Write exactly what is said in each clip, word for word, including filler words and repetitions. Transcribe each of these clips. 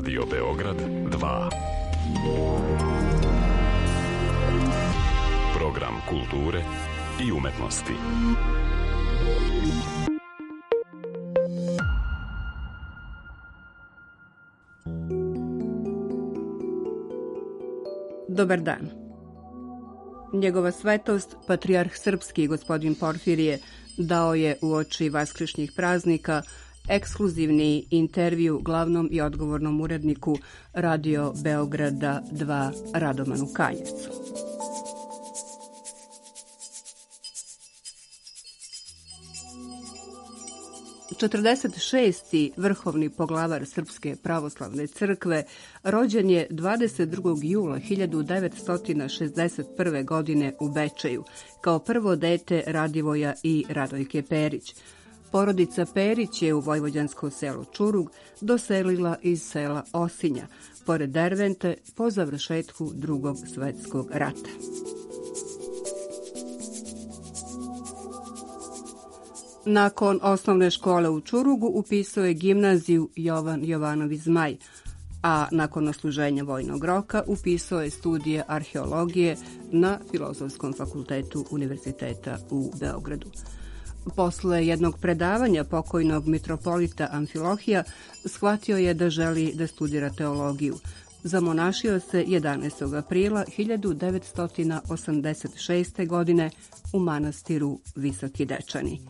Radio Beograd dva. Program kulture i umetnosti. Dobar dan. Njegova svetost, patrijarh srpski gospodin Porfirije, dao je uoči vaskršnjih praznika ekskluzivni intervju glavnom i odgovornom uredniku Radio Beograda dva Radomanu Kanjevcu. četrdeset šesti vrhovni poglavar Srpske pravoslavne crkve rođen je dvadeset drugog jula hiljadu devetsto šezdeset prve. godine u Bečeju, kao prvo dete Radivoja i Radojke Perić. Porodica Perić je u vojvođansko selo Čurug doselila iz sela Osinja, pored Dervente, po završetku Drugog svetskog rata. Nakon osnovne škole u Čurugu upisao je gimnaziju Jovan Jovanović Zmaj, a nakon odsluženja vojnog roka upisao je studije arheologije na Filozofskom fakultetu Univerziteta u Beogradu. Posle jednog predavanja pokojnog mitropolita Amfilohija shvatio je da želi da studira teologiju. Zamonašio se jedanaestog aprila hiljadu devetsto osamdeset šeste. godine u manastiru Visoki Dečani.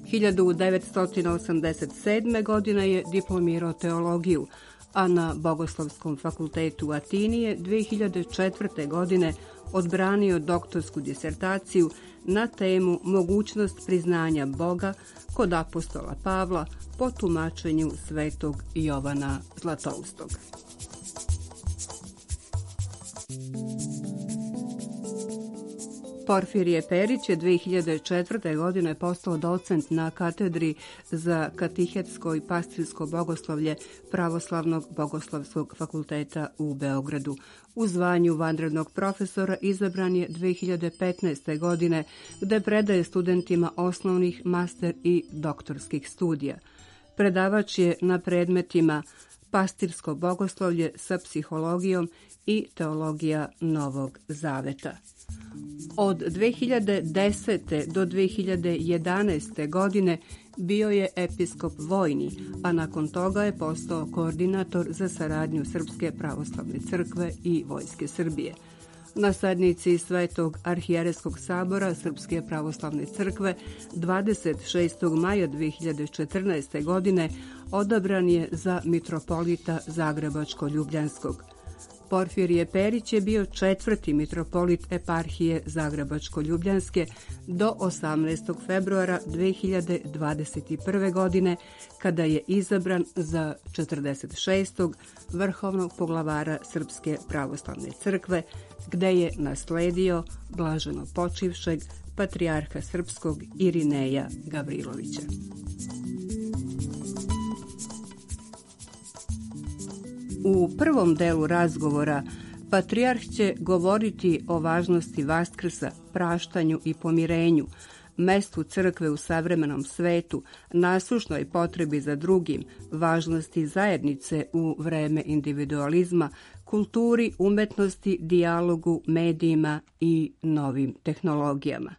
hiljadu devetsto osamdeset sedme. godine je diplomirao teologiju, a na Bogoslovskom fakultetu u Atini je dve hiljade četvrte. godine odbranio doktorsku disertaciju na temu mogućnost priznanja Boga kod apostola Pavla po tumačenju svetog Jovana Zlatoustog. Porfirije Perić je dve hiljade četvrte. godine postao docent na katedri za katehetsko i pastirsko bogoslovlje Pravoslavnog bogoslovskog fakulteta u Beogradu. U zvanju vanrednog profesora izabran je dve hiljade petnaeste. godine, gde predaje studentima osnovnih, master i doktorskih studija. Predavač je na predmetima pastirsko bogoslovlje sa psihologijom i teologija Novog Zaveta. Od dve hiljade desete. do dve hiljade jedanaeste. godine bio je episkop vojni, a nakon toga je postao koordinator za saradnju Srpske pravoslavne crkve i Vojske Srbije. Na sednici Svetog arhijerejskog sabora Srpske pravoslavne crkve dvadeset šestog maja dve hiljade četrnaeste. godine odabran je za mitropolita Zagrebačko-Ljubljanskog. Porfirije Perić je bio četvrti mitropolit eparhije Zagrebačko-Ljubljanske do osamnaestog februara dve hiljade dvadeset prve. godine, kada je izabran za četrdeset šestog vrhovnog poglavara Srpske pravoslavne crkve, gde je nasledio blaženo počivšeg patrijarha srpskog Irineja Gavrilovića. U prvom delu razgovora patrijarh će govoriti o važnosti Vaskrsa, praštanju i pomirenju, mestu crkve u savremenom svetu, nasušnoj potrebi za drugim, važnosti zajednice u vreme individualizma, kulturi, umetnosti, dijalogu, medijima i novim tehnologijama.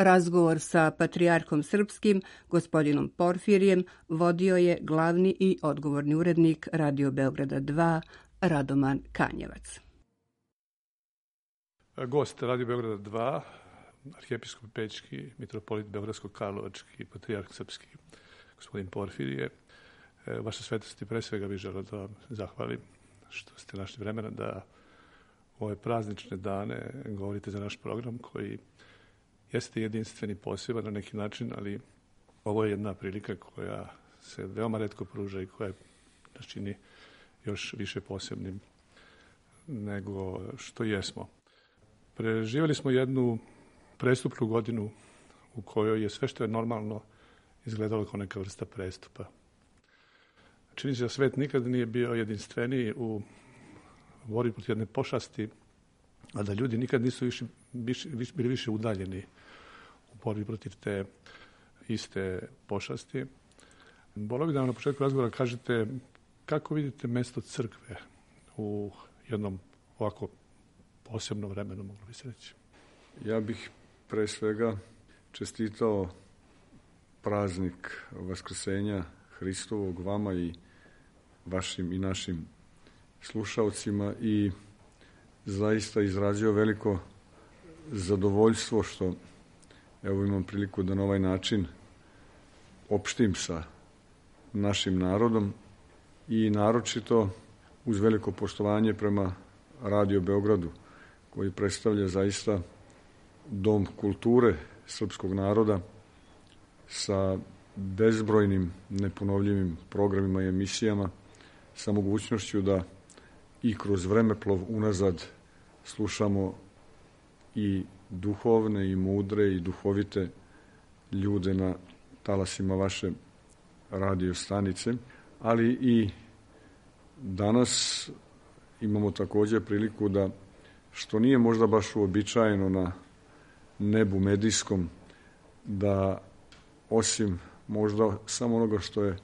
Razgovor sa patrijarhom srpskim, gospodinom Porfirijem, vodio je glavni i odgovorni urednik Radio Beograda dva, Radoman Kanjevac. Gost Radio Beograda dva, arhijepiskop Pećki, mitropolit Beogradsko-Karlovački, patrijarh srpski, gospodin Porfirije. Vaša svetosti, pre svega bih želeo da vam zahvalim što ste našli vremena da u ove praznične dane govorite za naš program koji jeste jedinstveni, poseban na neki način, ali ovo je jedna prilika koja se veoma retko pruža i koja nas čini još više posebnim nego što jesmo. Preživjeli smo jednu prestupnu godinu u kojoj je sve što je normalno izgledalo kao neka vrsta prestupa. Čini se da svet nikad nije bio jedinstveniji u borbi protiv jedne pošasti, a da ljudi nikad nisu više, više, bili više udaljeni u borbi protiv te iste pošasti. Volio bih da vam na početku razgovora kažete kako vidite mesto crkve u jednom ovako posebnom vremenu, moglo bi se reći. Ja bih pre svega čestitao praznik Vaskrsenja Hristovog vama i vašim i našim slušaocima i zaista izrazio veliko zadovoljstvo što evo imam priliku da na ovaj način opštim sa našim narodom i naročito uz veliko poštovanje prema Radio Beogradu koji predstavlja zaista dom kulture srpskog naroda sa bezbrojnim neponovljivim programima i emisijama, sa mogućnošću da i kroz vremeplov unazad slušamo i duhovne i mudre i duhovite ljude na talasima vaše radio stanice, ali i danas imamo također priliku da, što nije možda baš uobičajeno na nebu medijskom, da osim možda samo onoga što je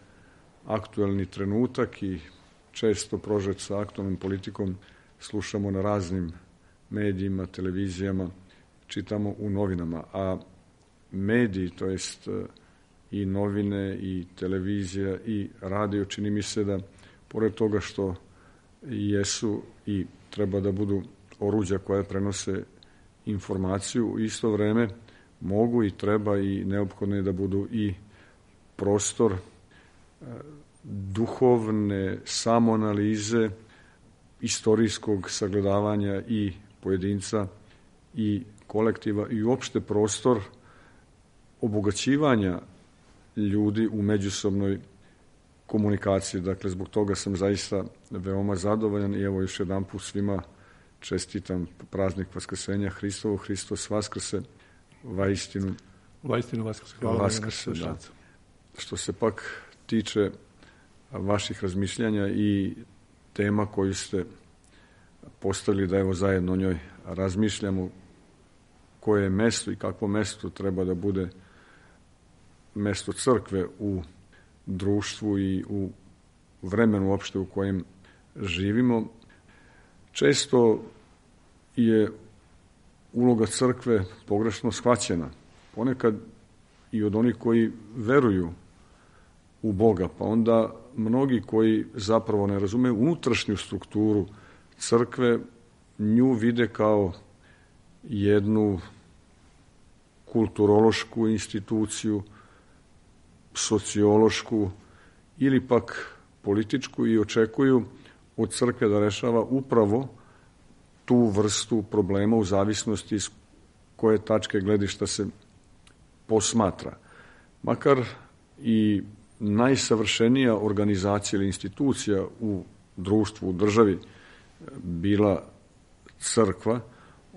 aktuelni trenutak i često prožet sa aktualnom politikom, slušamo na raznim medijima, televizijama, čitamo u novinama. A mediji, to jest i novine, i televizija, i radio, čini mi se da, pored toga što jesu i treba da budu oruđa koja prenose informaciju, u isto vreme mogu i treba i neophodno je da budu i prostor duhovne samoanalize, istorijskog sagledavanja i pojedinca i kolektiva i uopšte prostor obogaćivanja ljudi u međusobnoj komunikaciji. Dakle, zbog toga sam zaista veoma zadovoljan i evo još jedan put svima čestitam praznik Vaskrsenja Hristovog, Hristos Vaskrse, vaistinu Vaistinu Vaskrse, hvala Vaskrse, da. Što se pak tiče vaših razmišljanja i tema koju ste postavili da evo zajedno o njoj razmišljamo, koje je mesto i kakvo mesto treba da bude mesto crkve u društvu i u vremenu uopšte u kojem živimo. Često je uloga crkve pogrešno shvaćena. Ponekad i od onih koji veruju u Boga, pa onda mnogi koji zapravo ne razumeju unutrašnju strukturu crkve, nju vide kao jednu kulturološku instituciju, sociološku ili pak političku i očekuju od crkve da rešava upravo tu vrstu problema u zavisnosti iz koje tačke gledišta se posmatra. Makar i najsavršenija organizacija ili institucija u društvu, u državi bila crkva,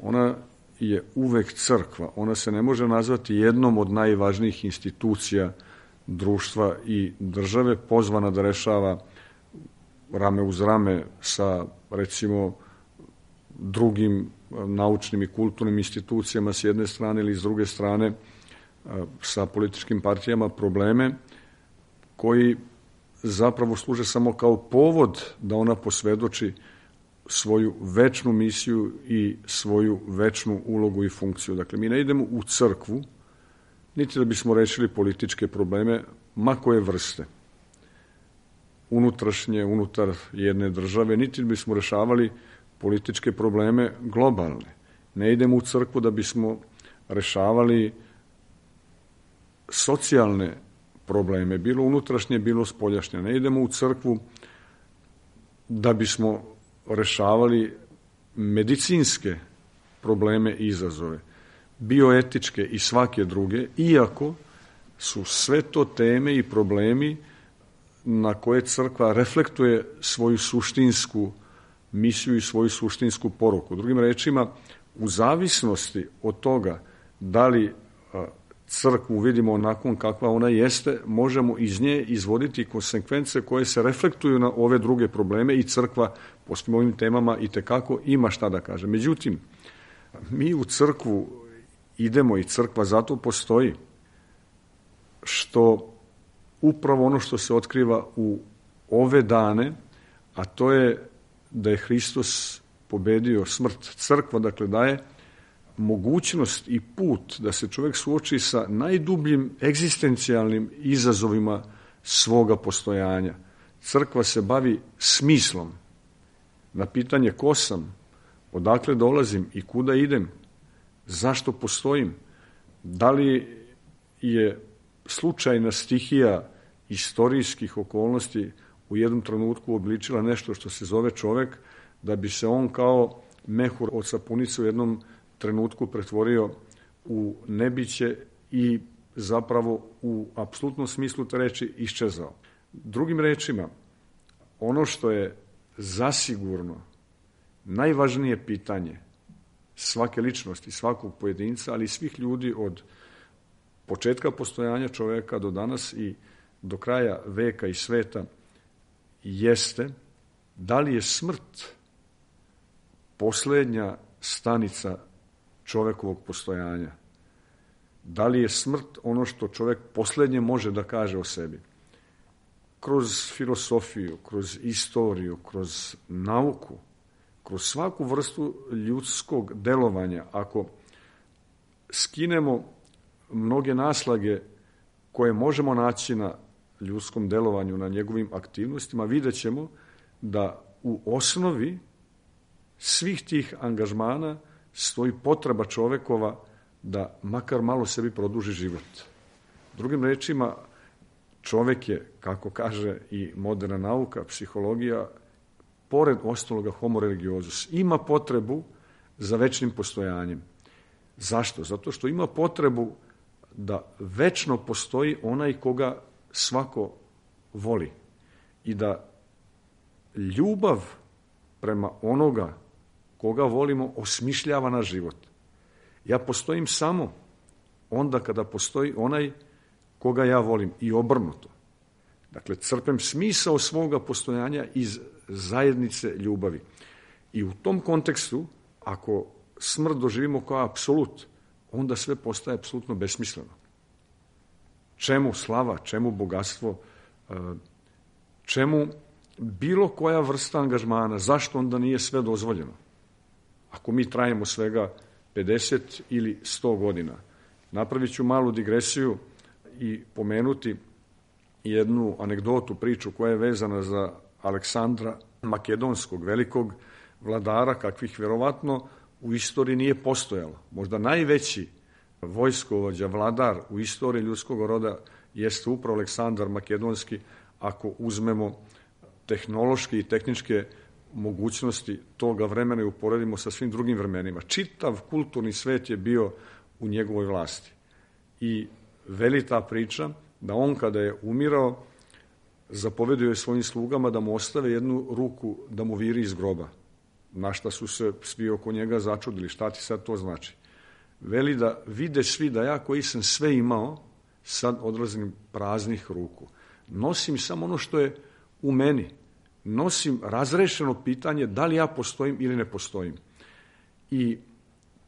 ona je uvek crkva. Ona se ne može nazvati jednom od najvažnijih institucija društva i države, pozvana da rešava rame uz rame sa, recimo, drugim naučnim i kulturnim institucijama s jedne strane ili s druge strane sa političkim partijama probleme koji zapravo služe samo kao povod da ona posvedoči svoju večnu misiju i svoju večnu ulogu i funkciju. Dakle, mi ne idemo u crkvu niti da bismo rešili političke probleme, ma koje vrste, unutrašnje, unutar jedne države, niti da bismo rešavali političke probleme globalne. Ne idemo u crkvu da bismo rešavali socijalne probleme, bilo unutrašnje, bilo spoljašnje. Ne idemo u crkvu da bismo rešavali medicinske probleme i izazove, bioetičke i svake druge, iako su sve to teme i problemi na koje crkva reflektuje svoju suštinsku misiju i svoju suštinsku poruku. Drugim rečima, u zavisnosti od toga da li crkvu vidimo onakvom kakva ona jeste, možemo iz nje izvoditi konsekvence koje se reflektuju na ove druge probleme i crkva po svim ovim temama itekako ima šta da kaže. Međutim, mi u crkvu idemo i crkva zato postoji što upravo ono što se otkriva u ove dane, a to je da je Hristos pobedio smrt. Crkva, dakle, daje mogućnost i put da se čovjek suoči sa najdubljim egzistencijalnim izazovima svoga postojanja. Crkva se bavi smislom. Na pitanje ko sam, odakle dolazim i kuda idem, zašto postojim, da li je slučajna stihija istorijskih okolnosti u jednom trenutku obličila nešto što se zove čovek, da bi se on kao mehur od sapunice u jednom trenutku pretvorio u nebiće i zapravo u apsolutnom smislu te reči iščezao. Drugim rečima, ono što je zasigurno najvažnije pitanje svake ličnosti, svakog pojedinca, ali i svih ljudi od početka postojanja čoveka do danas i do kraja veka i sveta, jeste da li je smrt poslednja stanica čovekovog postojanja. Da li je smrt ono što čovek poslednje može da kaže o sebi. Kroz filosofiju, kroz istoriju, kroz nauku, kroz svaku vrstu ljudskog delovanja, ako skinemo mnoge naslage koje možemo naći na ljudskom delovanju, na njegovim aktivnostima, vidjet ćemo da u osnovi svih tih angažmana stoji potreba čovekova da makar malo sebi produži život. Drugim rečima, čovek je, kako kaže i moderna nauka, psihologija, pored ostaloga homo religiosus, ima potrebu za večnim postojanjem. Zašto? Zato što ima potrebu da večno postoji onaj koga svako voli i da ljubav prema onoga koga volimo osmišljava naš život. Ja postojim samo onda kada postoji onaj koga ja volim i obrnuto. Dakle, crpem smisao svoga postojanja iz zajednice ljubavi. I u tom kontekstu, ako smrt doživimo kao apsolut, onda sve postaje apsolutno besmisleno. Čemu slava, čemu bogatstvo, čemu bilo koja vrsta angažmana, zašto onda nije sve dozvoljeno? Ako mi trajemo svega pedeset ili sto godina. Napravit ću malu digresiju i pomenuti jednu anegdotu, priču koja je vezana za Aleksandra Makedonskog, velikog vladara, kakvih verovatno u istoriji nije postojalo. Možda najveći vojskovođa, vladar u istoriji ljudskog roda jeste upravo Aleksandar Makedonski, ako uzmemo tehnološke i tehničke mogućnosti toga vremena i uporedimo sa svim drugim vremenima. Čitav kulturni svet je bio u njegovoj vlasti. I veli ta priča da on kada je umirao, zapovedio je svojim slugama da mu ostave jednu ruku da mu viri iz groba. Na šta su se svi oko njega začudili, šta ti sad to znači? Veli da vide svi da ja koji sam sve imao, sad odlazim praznih ruku. Nosim samo ono što je u meni. Nosim razrešeno pitanje da li ja postojim ili ne postojim. I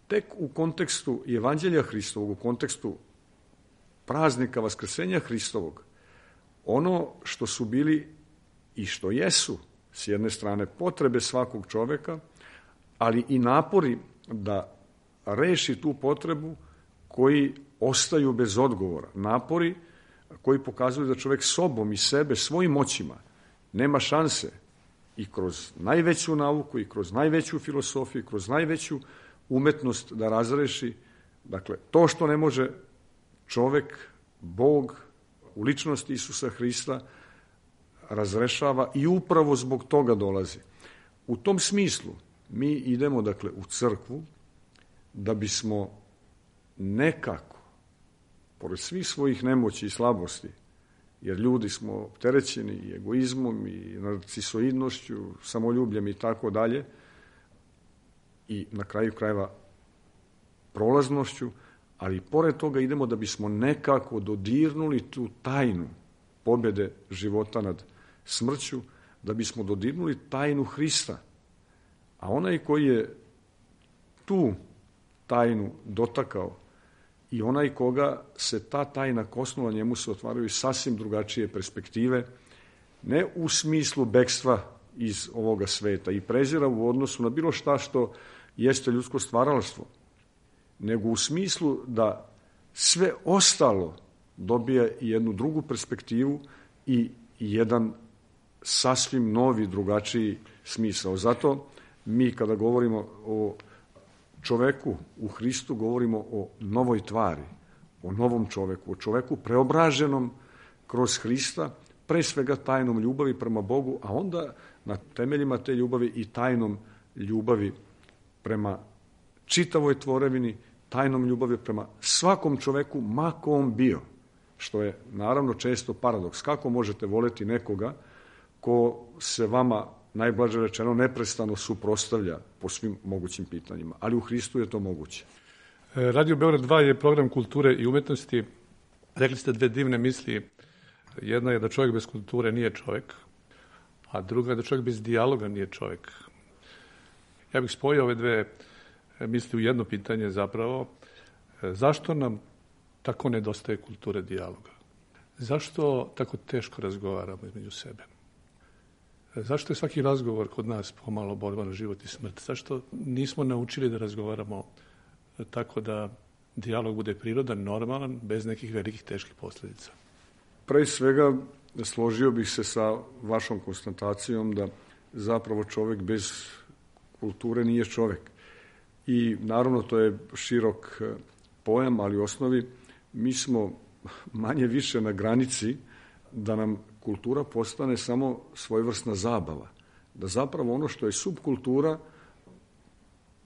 tek u kontekstu Evanđelja Hristovog, u kontekstu praznika Vaskrsenja Hristovog, ono što su bili i što jesu, s jedne strane, potrebe svakog čoveka, ali i napori da reši tu potrebu koji ostaju bez odgovora, napori koji pokazuju da čovjek sobom i sebe, svojim moćima, nema šanse i kroz najveću nauku, i kroz najveću filosofiju, i kroz najveću umetnost da razreši. Dakle, to što ne može čovjek, Bog, u ličnosti Isusa Hrista razrešava i upravo zbog toga dolazi. U tom smislu mi idemo, dakle, u crkvu da bismo nekako, pored svih svojih nemoći i slabosti, jer ljudi smo opterećeni i egoizmom i narcisoidnošću, samoljubljem i tako dalje, i na kraju krajeva prolaznošću, ali pored toga idemo da bismo nekako dodirnuli tu tajnu pobjede života nad smrću, da bismo dodirnuli tajnu Hrista. A onaj koji je tu tajnu dotakao i onaj koga se ta tajna kosnula, njemu se otvaraju sasvim drugačije perspektive, ne u smislu bekstva iz ovoga sveta i prezira u odnosu na bilo šta što jeste ljudsko stvaralaštvo, nego u smislu da sve ostalo dobija jednu drugu perspektivu i jedan sasvim novi, drugačiji smisao. Zato mi kada govorimo o čoveku u Hristu, govorimo o novoj tvari, o novom čoveku, o čoveku preobraženom kroz Hrista, pre svega tajnom ljubavi prema Bogu, a onda na temeljima te ljubavi i tajnom ljubavi prema čitavoj tvorevini, tajnom ljubavi prema svakom čoveku, ma ko on bio, što je naravno često paradoks. Kako možete voleti nekoga ko se vama, najblaže rečeno, neprestano suprotstavlja po svim mogućim pitanjima, ali u Hristu je to moguće. Radio Beograd dva je program kulture i umetnosti. Rekli ste dve divne misli. Jedna je da čovjek bez kulture nije čovjek, a druga je da čovjek bez dijaloga nije čovjek. Ja bih spojio ove dve misli u jedno pitanje zapravo. Zašto nam tako nedostaje kulture dijaloga? Zašto tako teško razgovaramo između sebe? Zašto je svaki razgovor kod nas pomalo borba na život i smrt? Zašto nismo naučili da razgovaramo tako da dijalog bude prirodan, normalan, bez nekih velikih teških posljedica? Pre svega složio bih se sa vašom konstatacijom da zapravo čovjek bez kulture nije čovjek. I naravno to je širok pojam, ali u osnovi mi smo manje više na granici da nam kultura postane samo svojevrsna zabava. Da zapravo ono što je subkultura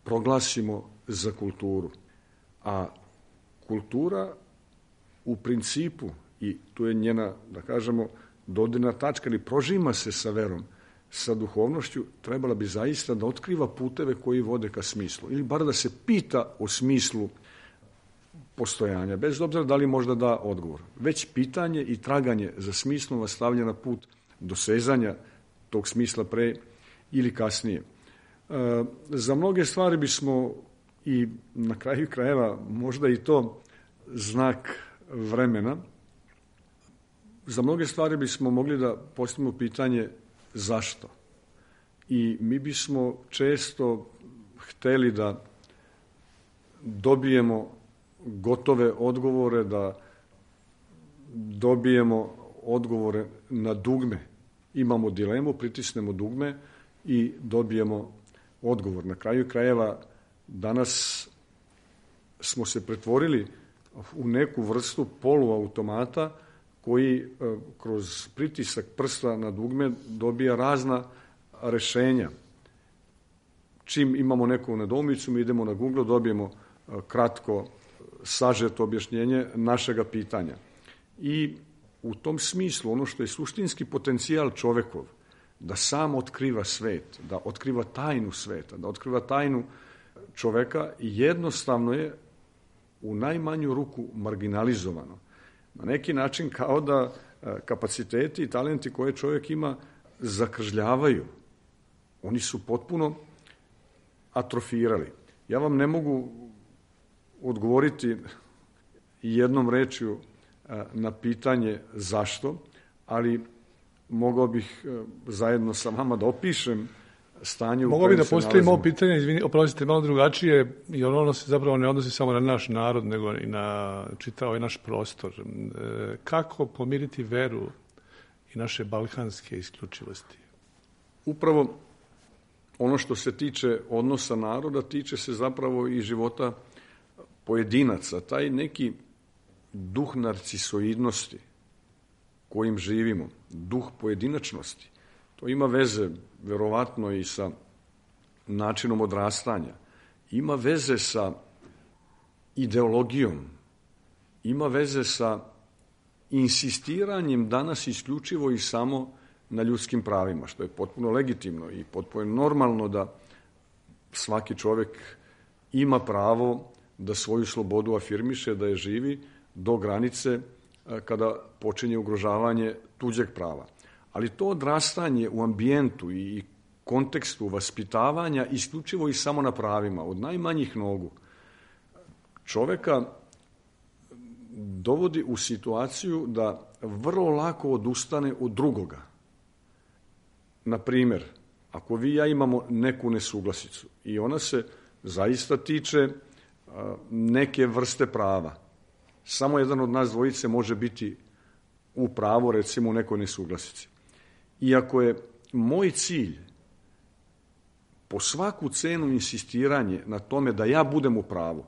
proglasimo za kulturu. A kultura u principu, i tu je njena, da kažemo, dodirna tačka, ili prožima se sa verom, sa duhovnošću, trebala bi zaista da otkriva puteve koji vode ka smislu. Ili bar da se pita o smislu postojanja, bez obzira da li možda da odgovor. Već pitanje i traganje za smislom vas stavlja na put dosezanja tog smisla pre ili kasnije. E, za mnoge stvari bismo, i na kraju krajeva možda i to znak vremena, za mnoge stvari bismo mogli da postavimo pitanje zašto. I mi bismo često hteli da dobijemo gotove odgovore, da dobijemo odgovore na dugme. Imamo dilemu, pritisnemo dugme i dobijemo odgovor. Na kraju krajeva danas smo se pretvorili u neku vrstu poluautomata koji kroz pritisak prsta na dugme dobija razna rešenja. Čim imamo neku nedoumicu, mi idemo na Google, dobijemo kratko sažeto objašnjenje našega pitanja. I u tom smislu ono što je suštinski potencijal čovekov, da sam otkriva svet, da otkriva tajnu sveta, da otkriva tajnu čoveka, jednostavno je u najmanju ruku marginalizovano. Na neki način kao da kapaciteti i talenti koje čovjek ima zakržljavaju. Oni su potpuno atrofirali. Ja vam ne mogu odgovoriti jednom rečju na pitanje zašto, ali mogao bih zajedno sa vama da opišem stanje u Mogu kojem bi da se postavim nalazimo. ovo pitanje, izvini, oprostite, malo drugačije, jer ono se zapravo ne odnosi samo na naš narod, nego i na čitao i naš prostor. E, kako pomiriti veru i naše balkanske isključivosti? Upravo ono što se tiče odnosa naroda, tiče se zapravo i života pojedinaca. Taj neki duh narcisoidnosti kojim živimo, duh pojedinačnosti, to ima veze verovatno i sa načinom odrastanja, ima veze sa ideologijom, ima veze sa insistiranjem danas isključivo i samo na ljudskim pravima, što je potpuno legitimno i potpuno normalno da svaki čovek ima pravo da svoju slobodu afirmiše, da je živi do granice kada počinje ugrožavanje tuđeg prava. Ali to odrastanje u ambijentu i kontekstu vaspitavanja isključivo i samo na pravima, od najmanjih nogu, čoveka dovodi u situaciju da vrlo lako odustane od drugoga. Na primer, ako vi i ja imamo neku nesuglasicu i ona se zaista tiče neke vrste prava, samo jedan od nas dvojice može biti u pravu, recimo u nekoj nesuglasici. I ako je moj cilj po svaku cenu insistiranje na tome da ja budem u pravu,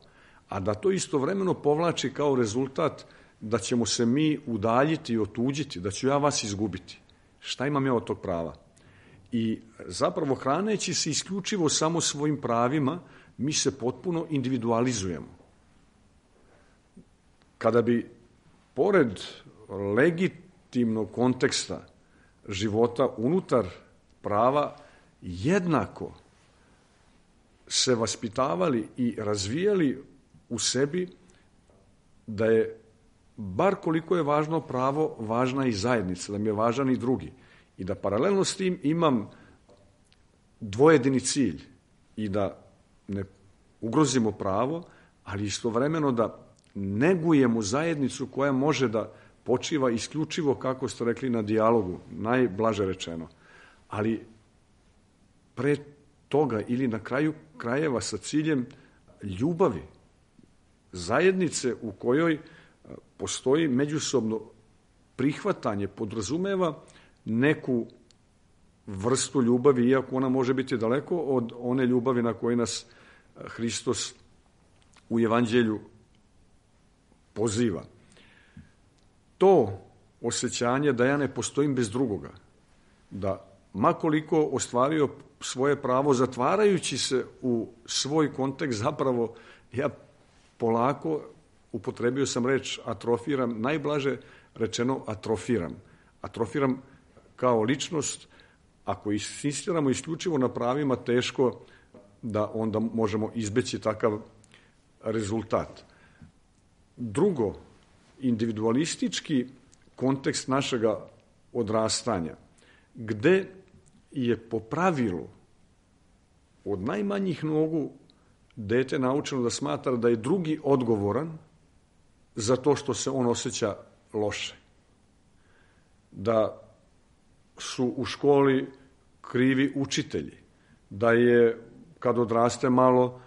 a da to istovremeno povlači kao rezultat da ćemo se mi udaljiti i otuđiti, da ću ja vas izgubiti, šta imam ja od tog prava? I zapravo hraneći se isključivo samo svojim pravima, mi se potpuno individualizujemo. Kada bi, pored legitimnog konteksta života unutar prava, jednako se vaspitavali i razvijali u sebi da je, bar koliko je važno pravo, važna i zajednica, da mi je važan i drugi. I da paralelno s tim imam dvojedini cilj i da ne ugrozimo pravo, ali istovremeno da negujemo zajednicu koja može da počiva isključivo, kako ste rekli, na dijalogu, najblaže rečeno. Ali pre toga ili na kraju krajeva sa ciljem ljubavi, zajednice u kojoj postoji međusobno prihvatanje, podrazumeva neku vrstu ljubavi, iako ona može biti daleko od one ljubavi na koju nas Hristos u Evanđelju poziva. To osjećanje da ja ne postojim bez drugoga, da makoliko ostvario svoje pravo, zatvarajući se u svoj kontekst, zapravo ja polako, upotrebio sam reč atrofiram, najblaže rečeno atrofiram. Atrofiram kao ličnost. Ako insistiramo isključivo na pravima, teško da onda možemo izbeći takav rezultat. Drugo, individualistički kontekst našega odrastanja, gde je po pravilu od najmanjih nogu dete naučeno da smatra da je drugi odgovoran za to što se on osjeća loše. Da su u školi krivi učitelji, da je, kad odraste malo,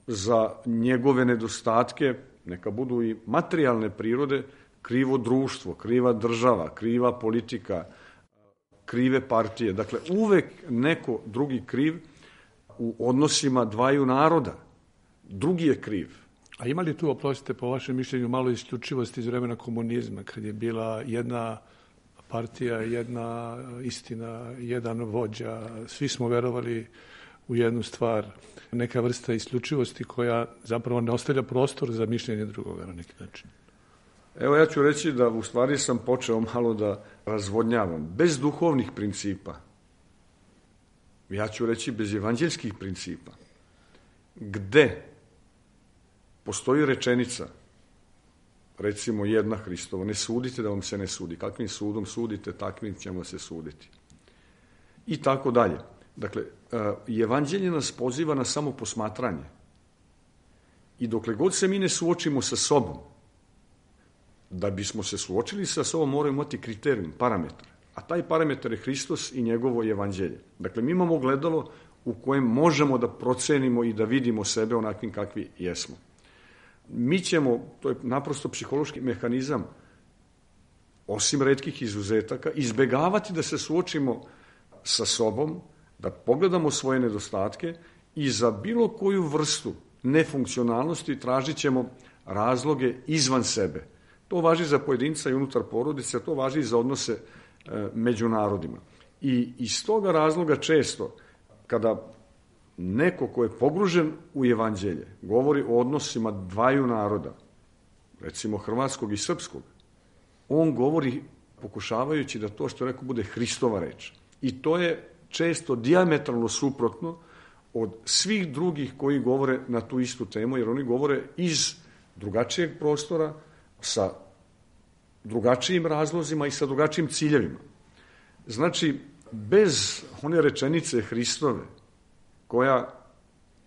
za njegove nedostatke, neka budu i materijalne prirode, krivo društvo, kriva država, kriva politika, krive partije. Dakle, uvek neko drugi kriv u odnosima dvaju naroda. Drugi je kriv. A ima li tu, oprostite, po vašem mišljenju, malo isključivosti iz vremena komunizma, kad je bila jedna partija, jedna istina, jedan vođa, svi smo verovali u jednu stvar, neka vrsta isključivosti koja zapravo ne ostavlja prostor za mišljenje drugoga na neki način? Evo, ja ću reći da u stvari sam počeo malo da razvodnjavam. Bez duhovnih principa, ja ću reći bez evanđeljskih principa, gde postoji rečenica, recimo jedna Hristova, ne sudite da vam se ne sudi. Kakvim sudom sudite, takvim ćemo se suditi. I tako dalje. Dakle, evanđelje nas poziva na samo posmatranje. I dokle god se mi ne suočimo sa sobom, da bismo se suočili sa sobom, moramo imati kriterijum, parametar. A taj parametar je Hristos i njegovo evanđelje. Dakle, mi imamo gledalo u kojem možemo da procenimo i da vidimo sebe onakvim kakvi jesmo. Mi ćemo, to je naprosto psihološki mehanizam, osim retkih izuzetaka, izbegavati da se suočimo sa sobom, da pogledamo svoje nedostatke i za bilo koju vrstu nefunkcionalnosti tražit ćemo razloge izvan sebe. To važi za pojedinca i unutar porodice, to važi i za odnose e, među narodima. I iz toga razloga često, kada neko ko je pogružen u evanđelje govori o odnosima dvaju naroda, recimo hrvatskog i srpskog, on govori pokušavajući da to što je rekao bude Hristova reč. I to je često dijametralno suprotno od svih drugih koji govore na tu istu temu, jer oni govore iz drugačijeg prostora, sa drugačijim razlozima i sa drugačijim ciljevima. Znači, bez one rečenice Hristove, koja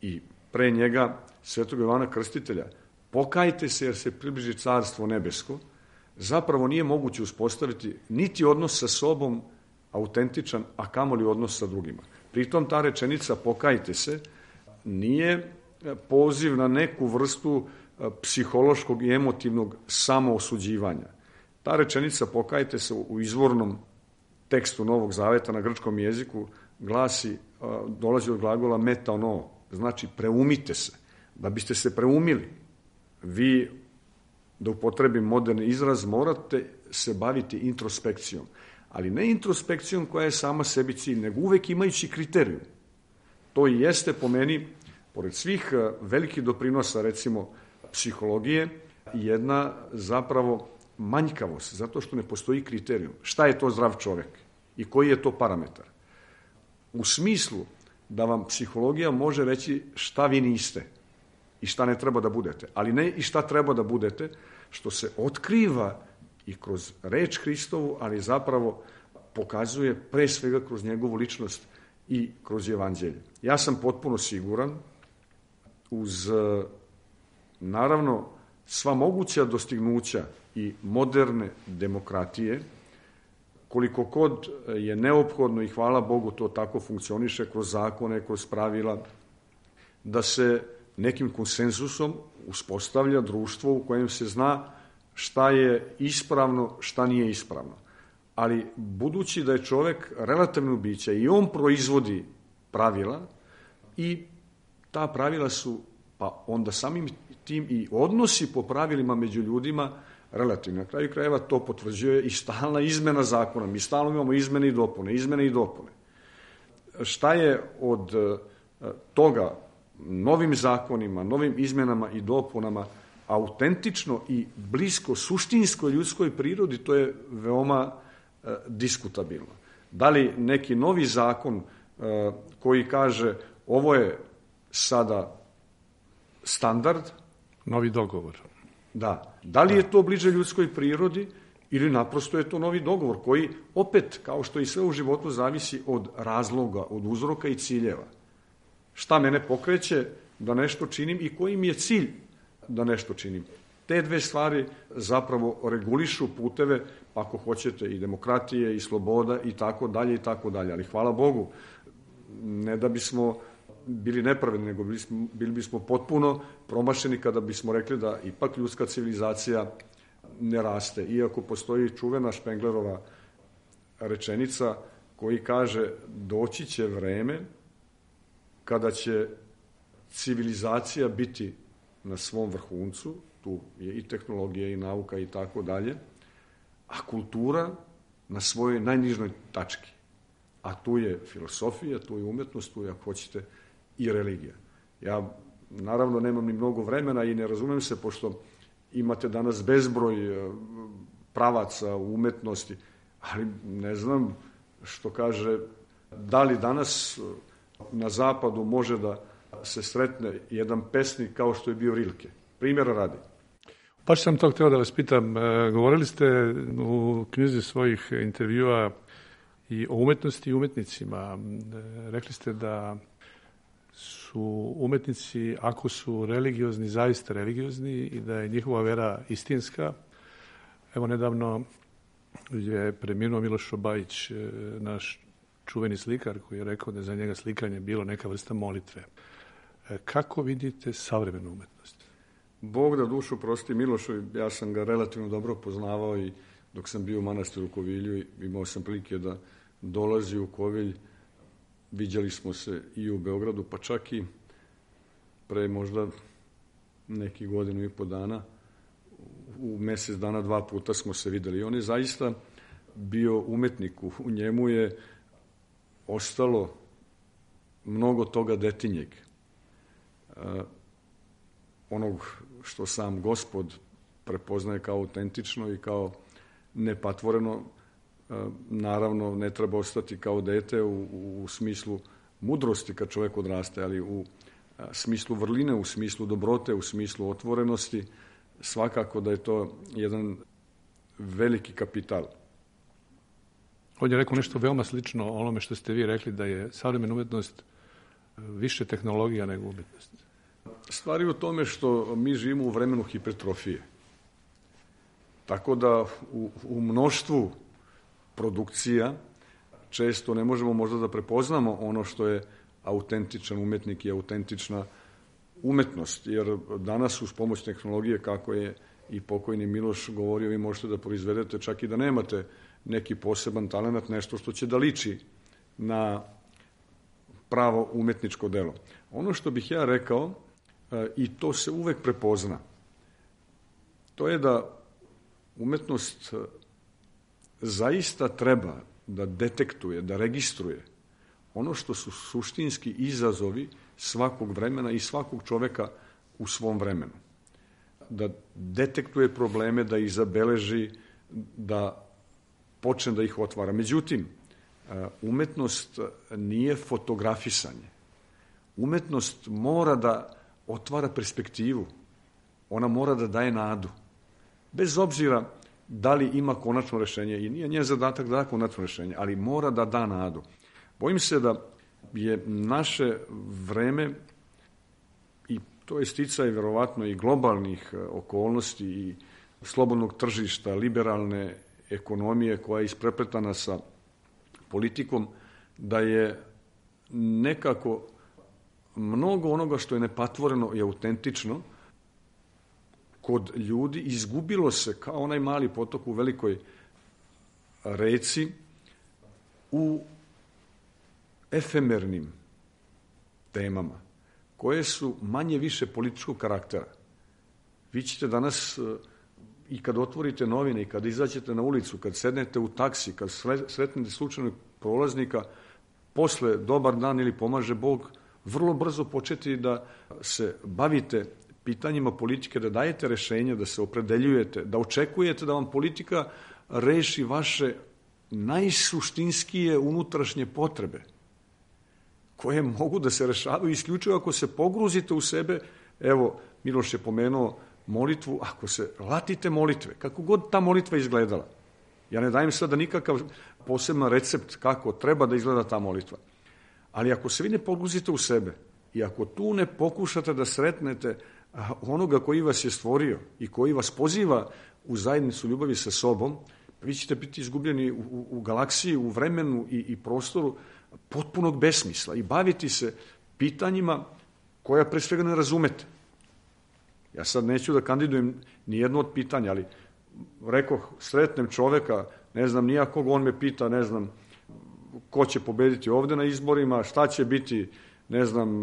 i pre njega svetog Jovana Krstitelja, pokajte se jer se približi carstvo nebesko, zapravo nije moguće uspostaviti niti odnos sa sobom autentičan, a kamoli odnos sa drugima. Pritom ta rečenica pokajte se nije poziv na neku vrstu psihološkog i emotivnog samoosuđivanja. Ta rečenica pokajte se u izvornom tekstu Novog Zaveta na grčkom jeziku glasi, dolazi od glagola metaono, znači preumite se. Da biste se preumili, vi, da upotrebim moderni izraz, morate se baviti introspekcijom. Ali ne introspekcijom koja je sama sebi cilj, nego uvek imajući kriterijum. To i jeste po meni, pored svih velikih doprinosa, recimo, psihologije, jedna zapravo manjkavost, zato što ne postoji kriterijum. Šta je to zdrav čovek i koji je to parametar? U smislu da vam psihologija može reći šta vi niste i šta ne treba da budete, ali ne i šta treba da budete, što se otkriva i kroz reč Hristovu, ali zapravo pokazuje pre svega kroz njegovu ličnost i kroz evanđelje. Ja sam potpuno siguran, uz naravno sva moguća dostignuća i moderne demokratije, koliko kod je neophodno i hvala Bogu to tako funkcioniše kroz zakone, kroz pravila, da se nekim konsenzusom uspostavlja društvo u kojem se zna šta je ispravno, šta nije ispravno. Ali budući da je čovek relativno biće i on proizvodi pravila i ta pravila su, pa onda samim tim i odnosi po pravilima među ljudima relativno. Na kraju krajeva to potvrđuje i stalna izmena zakona. Mi stalno imamo izmene i dopune, izmene i dopune. Šta je od toga novim zakonima, novim izmenama i dopunama autentično i blisko suštinskoj ljudskoj prirodi, to je veoma e, diskutabilno. Da li neki novi zakon e, koji kaže ovo je sada standard? Novi dogovor. Da. Da li je to bliže ljudskoj prirodi ili naprosto je to novi dogovor koji opet, kao što i sve u životu, zavisi od razloga, od uzroka i ciljeva. Šta mene pokreće da nešto činim i koji mi je cilj da nešto činim. Te dve stvari zapravo regulišu puteve, ako hoćete, i demokratije, i sloboda, i tako dalje, i tako dalje. Ali hvala Bogu, ne da bismo bili nepravedni, nego bili, smo, bili bismo potpuno promašeni kada bismo rekli da ipak ljudska civilizacija ne raste. Iako postoji čuvena Špenglerova rečenica koji kaže doći će vreme kada će civilizacija biti na svom vrhuncu, tu je i tehnologija i nauka i tako dalje, a kultura na svojoj najnižnoj tački. A tu je filosofija, tu je umetnost, tu je, ako hoćete, i religija. Ja, naravno, nemam ni mnogo vremena i ne razumem se, pošto imate danas bezbroj pravaca u umetnosti, ali ne znam što kaže, da li danas na zapadu može da se sretne jedan pesnik kao što je bio Rilke. Primjera radi. Baš sam to hteo da vas pitam. Govorili ste u knjizi svojih intervjua i o umetnosti i umetnicima. Rekli ste da su umetnici, ako su religiozni, zaista religiozni i da je njihova vera istinska. Evo, nedavno je preminuo Miloš Šobajić, naš čuveni slikar koji je rekao da je za njega slikanje bilo neka vrsta molitve. Kako vidite savremenu umetnost? Bog da dušu prosti Milošu, ja sam ga relativno dobro poznavao i dok sam bio u manastiru u Kovilju, imao sam prilike da dolazi u Kovilj, viđali smo se i u Beogradu, pa čak i pre možda neki godinu i po dana, u mesec dana dva puta smo se videli. On je zaista bio umetnik, u njemu je ostalo mnogo toga detinjeg. Onog što sam Gospod prepoznaje kao autentično i kao nepatvoreno, naravno ne treba ostati kao dete u, u smislu mudrosti kad čovjek odraste, ali u smislu vrline, u smislu dobrote, u smislu otvorenosti, svakako da je to jedan veliki kapital. On je rekao nešto veoma slično onome što ste vi rekli, da je savremena umetnost više tehnologija nego umetnost. Stvari u tome što mi živimo u vremenu hipertrofije. Tako da u, u mnoštvu produkcija često ne možemo možda da prepoznamo ono što je autentičan umetnik i autentična umetnost. Jer danas uz pomoć tehnologije, kako je i pokojni Miloš govorio, vi možete da proizvedete čak i da nemate neki poseban talent, nešto što će da liči na pravo umetničko delo. Ono što bih ja rekao, i to se uvek prepozna, to je da umetnost zaista treba da detektuje, da registruje ono što su suštinski izazovi svakog vremena i svakog čoveka u svom vremenu. Da detektuje probleme, da ih zabeleži, da počne da ih otvara. Međutim, umetnost nije fotografisanje. Umetnost mora da otvara perspektivu. Ona mora da daje nadu. Bez obzira da li ima konačno rešenje, i nije njen zadatak da da konačno rešenje, ali mora da da nadu. Bojim se da je naše vreme, i to je sticaj verovatno i globalnih okolnosti i slobodnog tržišta, liberalne ekonomije koja je isprepletana sa politikom, da je nekako mnogo onoga što je nepatvoreno i autentično kod ljudi izgubilo se kao onaj mali potok u velikoj reci u efemernim temama koje su manje više političkog karaktera. Vi ćete danas i kad otvorite novine i kad izađete na ulicu, kad sednete u taksi, kad sretnete slučajnog prolaznika, posle dobar dan ili pomaže Bog, vrlo brzo početi da se bavite pitanjima politike, da dajete rešenja, da se opredeljujete, da očekujete da vam politika reši vaše najsuštinskije unutrašnje potrebe, koje mogu da se rešavaju isključivo ako se pogruzite u sebe. Evo, Miloš je pomenuo molitvu, ako se latite molitve, kako god ta molitva izgledala. Ja ne dajem sada nikakav poseban recept kako treba da izgleda ta molitva. Ali ako se vi ne pogruzite u sebe i ako tu ne pokušate da sretnete onoga koji vas je stvorio i koji vas poziva u zajednicu ljubavi sa sobom, vi ćete biti izgubljeni u, u, u galaksiji, u vremenu i, i prostoru potpunog besmisla i baviti se pitanjima koja pre svega ne razumete. Ja sad neću da kandidujem ni jedno od pitanja, ali rekoh, sretnem čoveka, ne znam nijakog, on me pita, ne znam, ko će pobediti ovde na izborima, šta će biti, ne znam,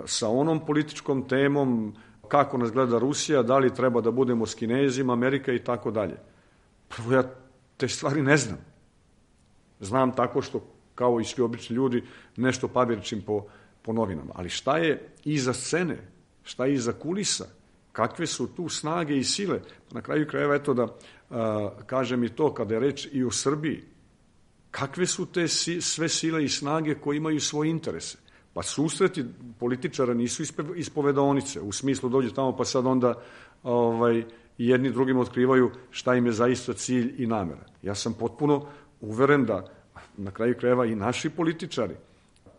sa onom političkom temom, kako nas gleda Rusija, da li treba da budemo s Kinezima, Amerika i tako dalje. Prvo, ja te stvari ne znam. Znam tako što, kao i svi obični ljudi, nešto pabirčim po, po novinama. Ali šta je iza scene? Šta je iza kulisa? Kakve su tu snage i sile? Na kraju krajeva, eto da a, kažem i to, kada je reč i o Srbiji, kakve su te si, sve sile i snage koje imaju svoje interese? Pa susreti političara nisu ispovedaonice, u smislu dođe tamo pa sad onda ovaj, jedni drugim otkrivaju šta im je zaista cilj i namera. Ja sam potpuno uveren da na kraju krajeva i naši političari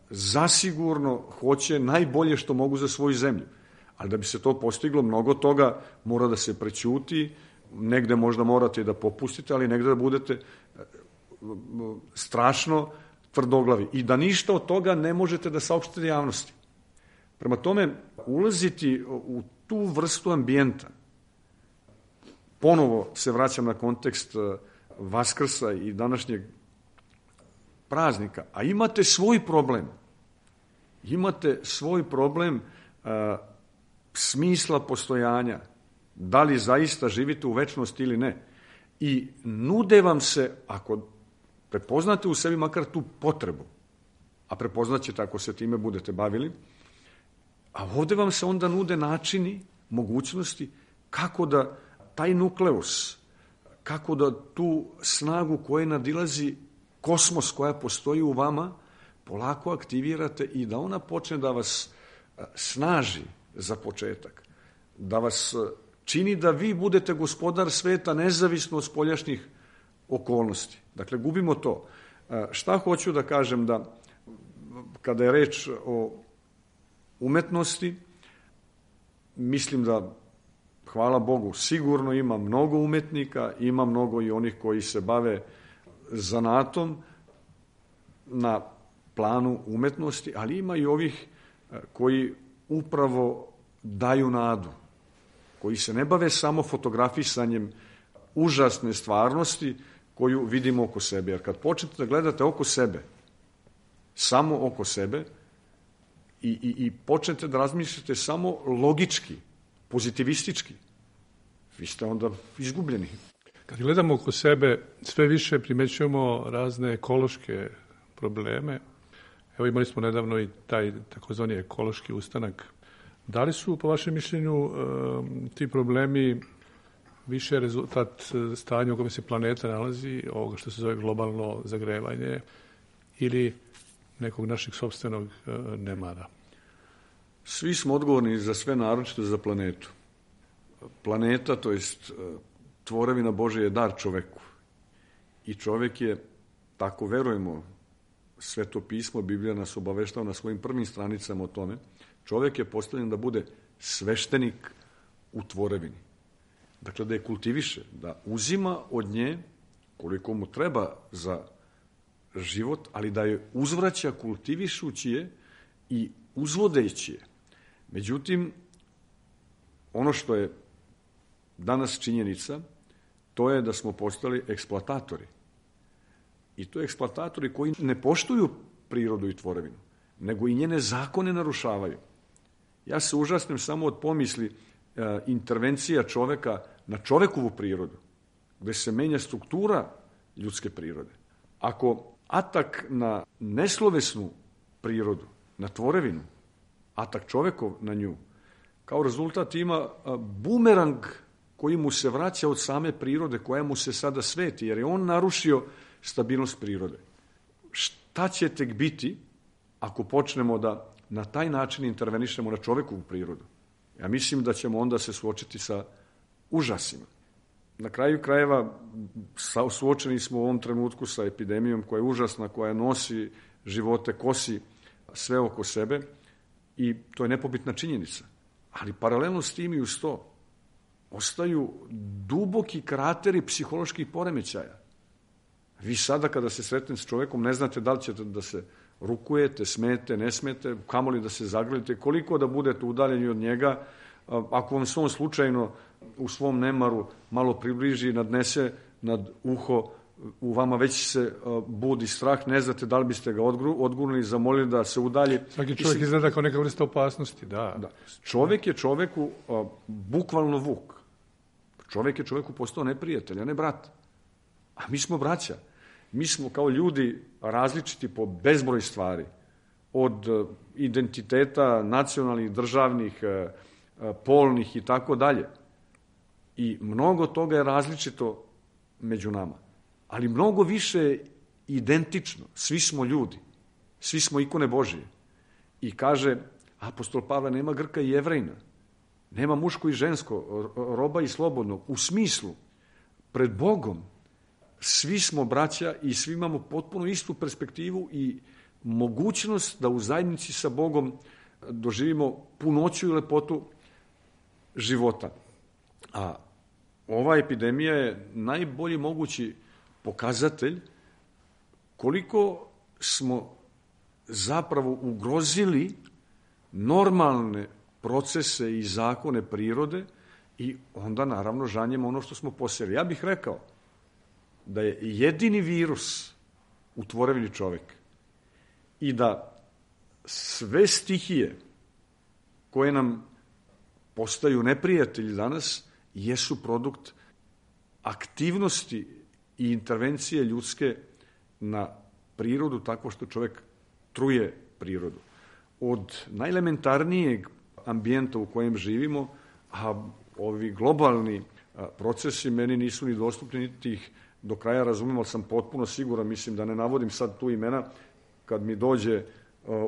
zasigurno hoće najbolje što mogu za svoju zemlju. Ali da bi se to postiglo, mnogo toga mora da se prećuti, negde možda morate da popustite, ali negde da budete strašno tvrdoglavi i da ništa od toga ne možete da saopštite javnosti. Prema tome, ulaziti u tu vrstu ambijenta, ponovo se vraćam na kontekst Vaskrsa i današnjeg praznika, a imate svoj problem. Imate svoj problem a, smisla postojanja, da li zaista živite u večnosti ili ne. I nude vam se, ako prepoznate u sebi makar tu potrebu, a prepoznaćete ako se time budete bavili, a ovde vam se onda nude načini, mogućnosti, kako da taj nukleus, kako da tu snagu koja nadilazi kosmos koja postoji u vama, polako aktivirate i da ona počne da vas snaži za početak, da vas čini da vi budete gospodar sveta nezavisno od spoljašnjih okolnosti. Dakle, gubimo to. Šta hoću da kažem, da kada je reč o umetnosti, mislim da, hvala Bogu, sigurno ima mnogo umetnika, ima mnogo i onih koji se bave zanatom na planu umetnosti, ali ima i ovih koji upravo daju nadu, koji se ne bave samo fotografisanjem užasne stvarnosti koju vidimo oko sebe. Jer kad počnete da gledate oko sebe, samo oko sebe, i, i, i počnete da razmišljate samo logički, pozitivistički, vi ste onda izgubljeni. Kad gledamo oko sebe, sve više primećujemo razne ekološke probleme. Evo, imali smo nedavno i taj takozvani ekološki ustanak. Da li su, po vašem mišljenju, ti problemi više rezultat stanja u kome se planeta nalazi, ovoga što se zove globalno zagrevanje, ili nekog našeg sopstvenog nemara? Svi smo odgovorni za sve, naročito za planetu. Planeta, to jest tvorevina Božja, je dar čoveku. I čovek je, tako verujemo, Sveto pismo, Biblija nas obaveštava na svojim prvim stranicama o tome, čovek je postavljen da bude sveštenik u tvorevini. Dakle, da je kultiviše, da uzima od nje koliko mu treba za život, ali da je uzvraća kultivišući je i uzvodeći je. Međutim, ono što je danas činjenica, to je da smo postali eksploatatori. I to je eksploatatori koji ne poštuju prirodu i tvorevinu, nego i njene zakone narušavaju. Ja se užasnem samo od pomisli e, intervencija čoveka na čovekovu prirodu, gde se menja struktura ljudske prirode. Ako atak na neslovesnu prirodu, na tvorevinu, atak čovekov na nju, kao rezultat ima bumerang koji mu se vraća od same prirode, koja mu se sada sveti, jer je on narušio stabilnost prirode. Šta će tek biti ako počnemo da na taj način intervenišemo na čovekovu prirodu? Ja mislim da ćemo onda se suočiti sa užasima. Na kraju krajeva suočeni smo u ovom trenutku sa epidemijom koja je užasna, koja nosi živote, kosi sve oko sebe i to je nepobitna činjenica. Ali paralelno s tim i uz to ostaju duboki krateri psiholoških poremećaja. Vi sada kada se sretnete s čovekom ne znate da li ćete da se rukujete, smete, ne smete, kamoli da se zagrlite, koliko da budete udaljeni od njega. Ako vam se on slučajno u svom nemaru malo približi i nadnese nad uho, u vama već se budi strah, ne znate da li biste ga odgurnuli, zamolili da se udalji. Svaki čovjek izgleda kao neka vrsta opasnosti, da. da. Čovjek je čoveku a, bukvalno vuk. Čovjek je čoveku postao neprijatelj, a ne brat. A mi smo braća. Mi smo kao ljudi različiti po bezbroj stvari. Od identiteta nacionalnih, državnih, polnih i tako dalje. I mnogo toga je različito među nama. Ali mnogo više identično. Svi smo ljudi. Svi smo ikone Božije. I kaže apostol Pavle, nema Grka i Jevrejna. Nema muško i žensko, roba i slobodnog. U smislu, pred Bogom, svi smo braća i svi imamo potpuno istu perspektivu i mogućnost da u zajednici sa Bogom doživimo punoću i lepotu života. A ova epidemija je najbolji mogući pokazatelj koliko smo zapravo ugrozili normalne procese i zakone prirode i onda naravno žanjemo ono što smo posjeli. Ja bih rekao da je jedini virus u tvorevini čovek i da sve stihije koje nam postaju neprijatelji danas jesu produkt aktivnosti i intervencije ljudske na prirodu tako što čovek truje prirodu. Od najelementarnijeg ambijenta u kojem živimo, a ovi globalni procesi meni nisu ni dostupni, niti ih do kraja razumem, ali sam potpuno siguran, mislim da ne navodim sad tu imena, kad mi dođe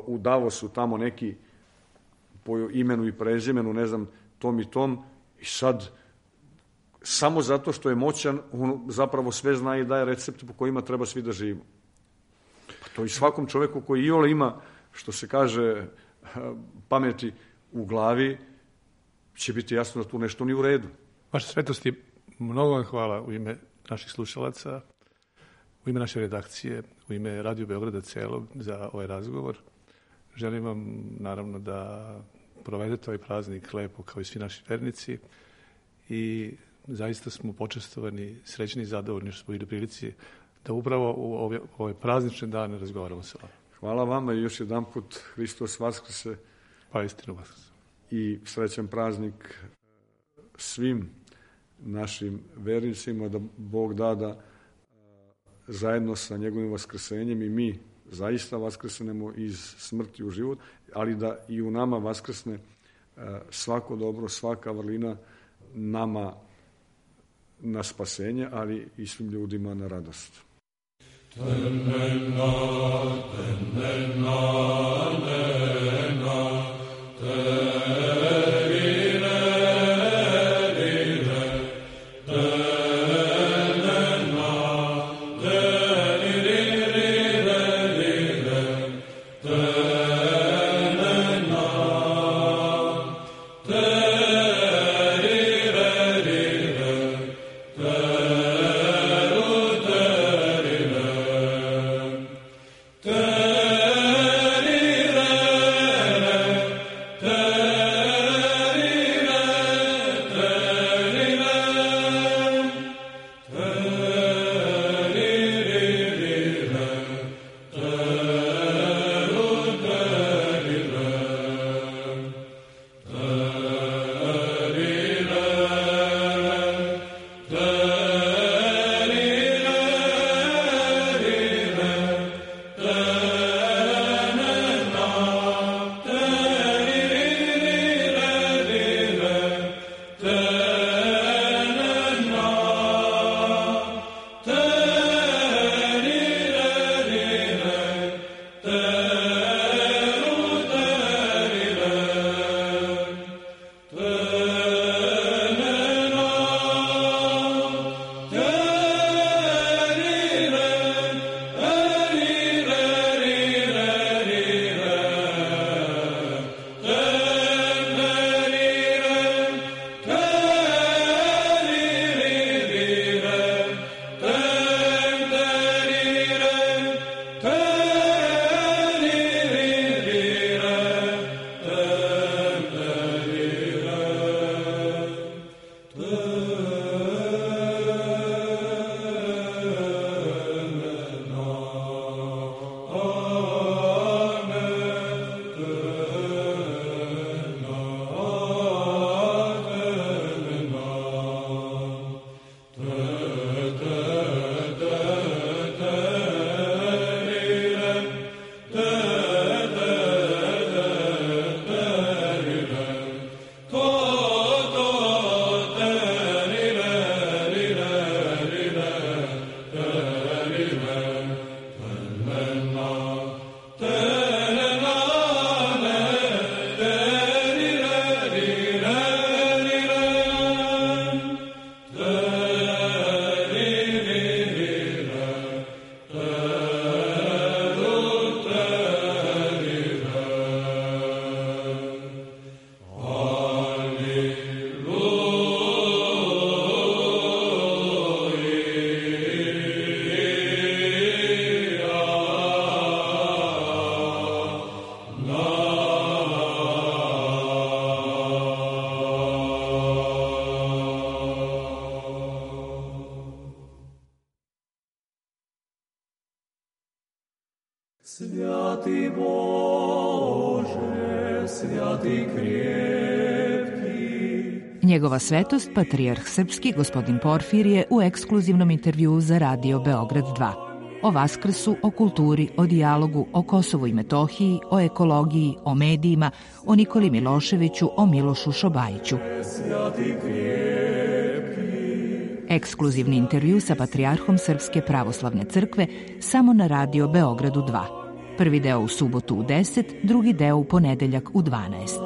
u Davosu tamo neki po imenu i prezimenu, ne znam, tom i tom, i sad samo zato što je moćan, on zapravo sve zna i daje recepte po kojima treba svi da živimo. Pa to i svakom čoveku koji iole ima, što se kaže, pameti u glavi, će biti jasno da tu nešto nije u redu. Vaša svetosti, mnogo vam hvala u ime naših slušalaca, u ime naše redakcije, u ime Radio Beograda celog za ovaj razgovor. Želim vam, naravno, da provedete ovaj praznik lepo kao i svi naši vernici i zaista smo počestovani, srećni i zadovoljni što smo bili u prilici da upravo u ove, ove praznične dane razgovaramo sa vama. Hvala vama i još jedan put Hristos Vaskrse. Pa istinu Vaskrse. I srećan praznik svim našim vernicima, da Bog da da zajedno sa njegovim vaskrsenjem i mi zaista vaskrsnemo iz smrti u život, ali da i u nama vaskrsne svako dobro, svaka vrlina nama na spasenje, ali i svim ljudima na radost. Tenena, tenena, tenena, Tenere Svjati Bože, svjati krepki. Njegova svetost, patrijarh srpski, gospodin Porfirije, u ekskluzivnom intervjuu za Radio Beograd dva. O Vaskrsu, o kulturi, o dijalogu, o Kosovu i Metohiji, o ekologiji, o medijima, o Nikoli Miloševiću, o Milošu Šobajiću. Ekskluzivni intervju sa patrijarhom Srpske pravoslavne crkve samo na Radio Beogradu dva. Prvi deo u subotu u deset, drugi deo u ponedeljak u dvanaest.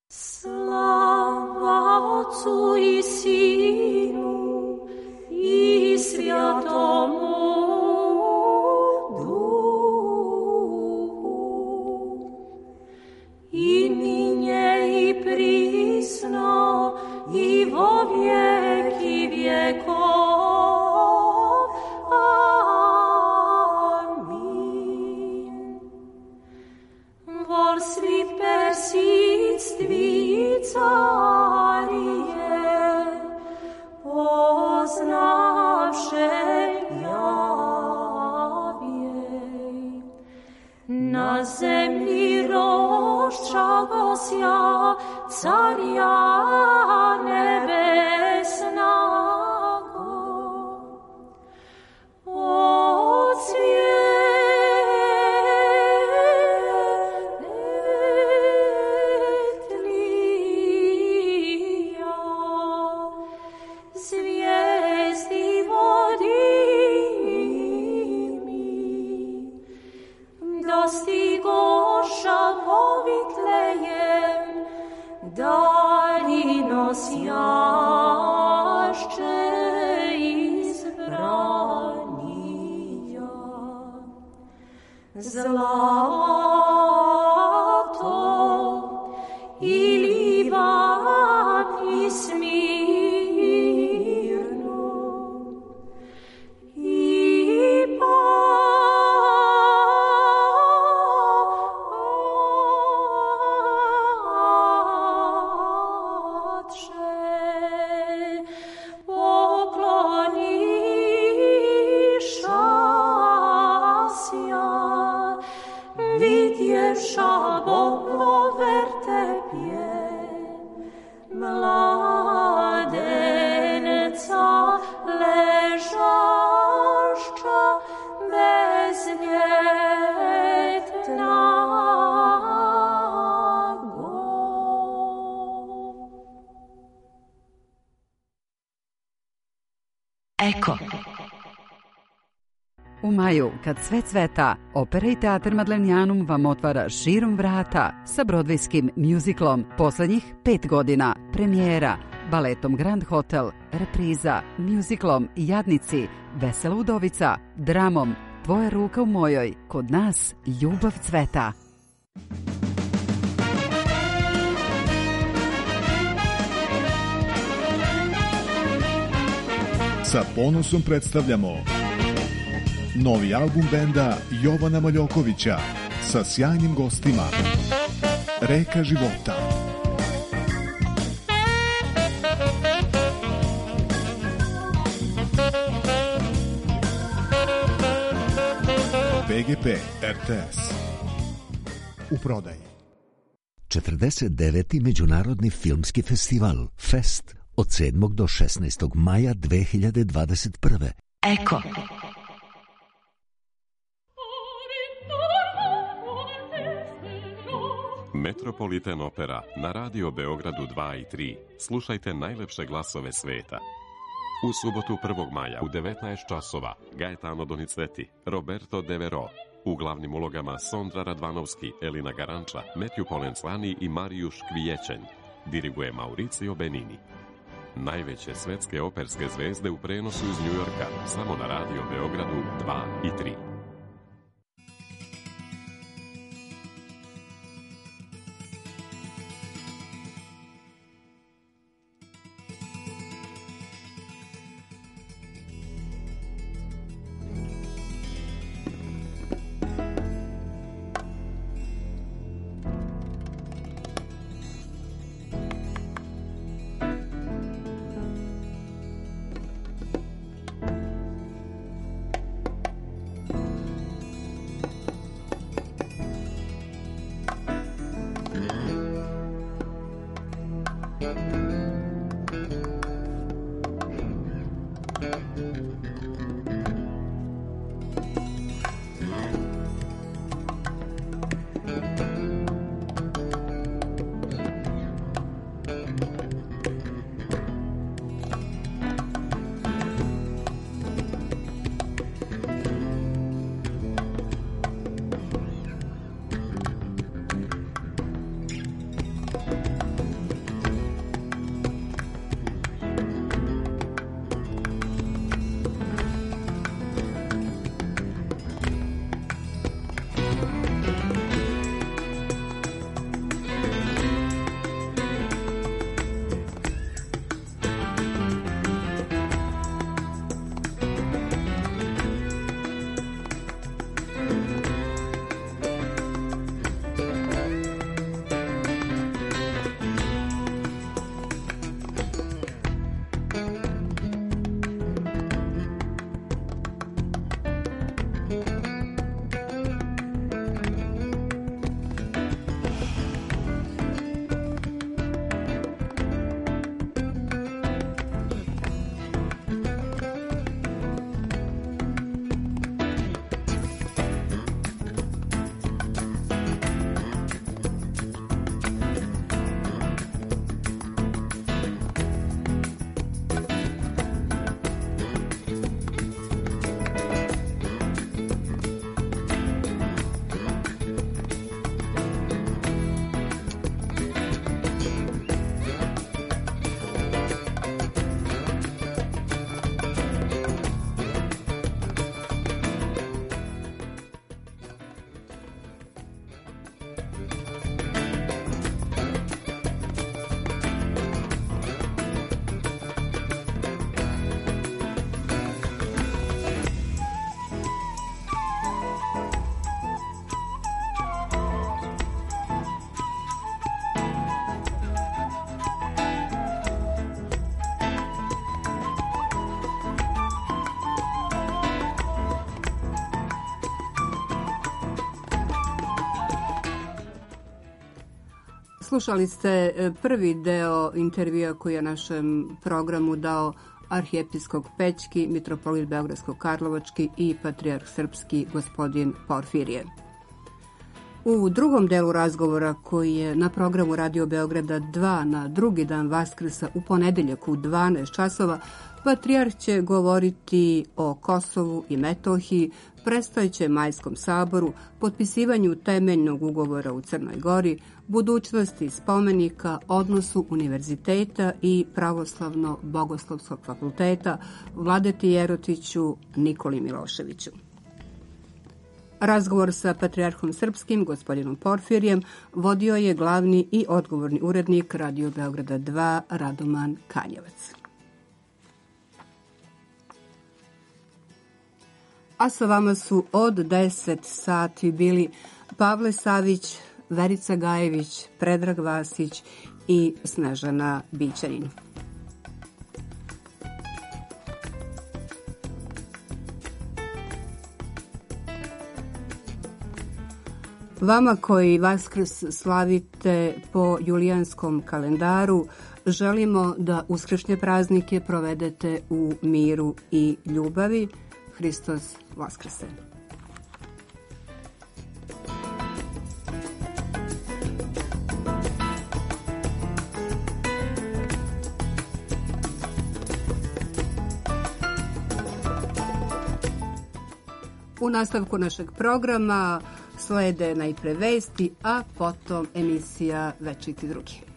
Slava Otcu i Sinu i Svjatomu Duhu, i ninje i prisno i vo vijeki vjekov. Amin. Vol svi persistvi carije, poznavše javjej. Na zemlji roščagosja carja nebesnago. Od svjetlija zvijezdi vodi mi, dostigoša povitlejem daljino sjašće izbranija. Zlato i Liban i Smirnu i Pače pokloniša sja, vidjevša Bogo vertepje mladenca ležašća bezljetnago. Eko. U maju, kad sve cveta, Opera i teatar Madlenjanum vam otvara širom vrata sa brodvejskim mjuziklom poslednjih pet godina, premijera, baletom Grand Hotel, repriza, mjuziklom Jadnici, Vesela udovica, dramom Tvoja ruka u mojoj, kod nas ljubav cveta. Sa ponosom predstavljamo novi album benda Jovana Maljokovića sa sjajnim gostima. Reka života. B G P R T S u prodaji. četrdeset deveti Međunarodni filmski festival Fest od sedmog do šesnaestog maja dve hiljade dvadeset prve. Eko. Metropolitan Opera na Radio Beogradu dva i tri. Slušajte najlepše glasove sveta. U subotu prvog maja u devetnaest časova Gaetano Donizetti, Roberto De Vero. U glavnim ulogama Sondra Radvanovski, Elina Garanča, Matthew Polenzani i Marijuš Kvijećen. Diriguje Mauricio Benini. Najveće svetske operske zvezde u prenosu iz Njujorka, samo na Radio Beogradu dva i tri. Slušali ste prvi deo intervjua koji je našem programu dao arhijepiskop Pećki, mitropolit Beogradsko-Karlovački i patrijarh srpski gospodin Porfirije. U drugom delu razgovora koji je na programu Radio Beograda dva na drugi dan Vaskrsa u ponedeljak u dvanaest časova, patrijarh će govoriti o Kosovu i Metohiji, predstojećem Majskom saboru, potpisivanju temeljnog ugovora u Crnoj Gori, budućnosti spomenika, odnosu univerziteta i Pravoslavno-bogoslovskog fakulteta, Vladeti Jerotiću, Nikoli Miloševiću. Razgovor sa patrijarhom srpskim, gospodinom Porfirijem, vodio je glavni i odgovorni urednik Radio Beograda dva, Radoman Kanjevac. A sa vama su od deset sati bili Pavle Savić, Verica Gajević, Predrag Vasić i Snežana Bićanin. Vama koji Vaskrs slavite po julijanskom kalendaru, želimo da uskršnje praznike provedete u miru i ljubavi. Hristos Vaskrse! U nastavku našeg programa slede najpre vesti, a potom emisija Večiti drugi.